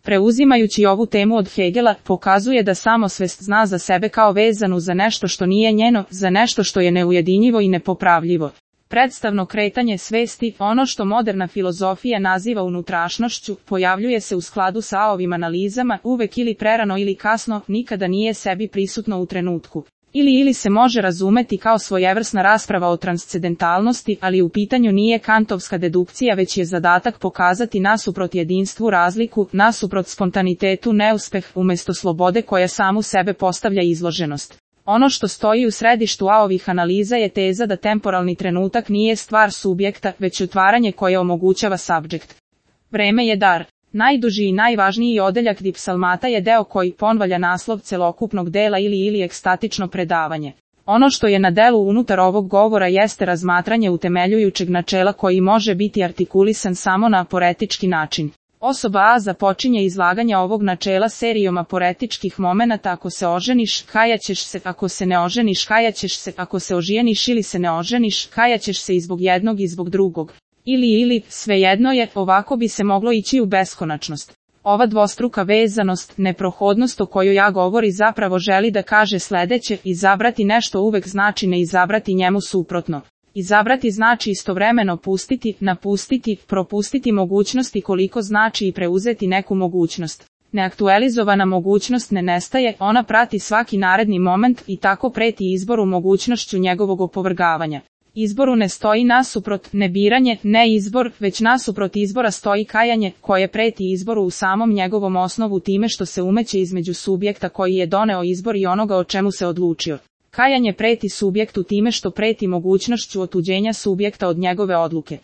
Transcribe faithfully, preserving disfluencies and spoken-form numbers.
Preuzimajući ovu temu od Hegela, pokazuje da samosvest zna za sebe kao vezanu za nešto što nije njeno, za nešto što je neujedinjivo i nepopravljivo. Predstavno kretanje svesti, ono što moderna filozofija naziva unutrašnošću, pojavljuje se u skladu sa ovim analizama, uvek ili prerano ili kasno, nikada nije sebi prisutno u trenutku. Ili ili se može razumeti kao svojevrsna rasprava o transcendentalnosti, ali u pitanju nije kantovska dedukcija, već je zadatak pokazati nasuprot jedinstvu razliku, nasuprot spontanitetu neuspeh, umjesto slobode koja samu sebe postavlja izloženost. Ono što stoji u središtu ovih analiza je teza da temporalni trenutak nije stvar subjekta, već otvaranje koje omogućava subjekt. Vreme je dar. Najduži i najvažniji odeljak dipsalmata je deo koji ponvalja naslov celokupnog dela ili ili ekstatično predavanje. Ono što je na delu unutar ovog govora jeste razmatranje utemeljujućeg načela koji može biti artikulisan samo na aporetički način. Osoba A započinje izlaganje ovog načela serijom aporetičkih momenata: ako se oženiš, kajaćeš se; ako se ne oženiš, kajaćeš se; ako se oženiš ili se ne oženiš, kajaćeš se i zbog jednog i zbog drugog. Ili ili, svejedno je, ovako bi se moglo ići u beskonačnost. Ova dvostruka vezanost, neprohodnost o kojoj ja govori zapravo želi da kaže sledeće: izabrati nešto uvek znači ne izabrati njemu suprotno. Izabrati znači istovremeno pustiti, napustiti, propustiti mogućnosti koliko znači i preuzeti neku mogućnost. Neaktualizovana mogućnost ne nestaje, ona prati svaki naredni moment i tako preti izboru mogućnošću njegovog opovrgavanja. Izboru ne stoji nasuprot, ne biranje, ne izbor, već nasuprot izbora stoji kajanje, koje preti izboru u samom njegovom osnovu time što se umeće između subjekta koji je doneo izbor i onoga o čemu se odlučio. Kajanje preti subjektu time što preti mogućnošću otuđenja subjekta od njegove odluke.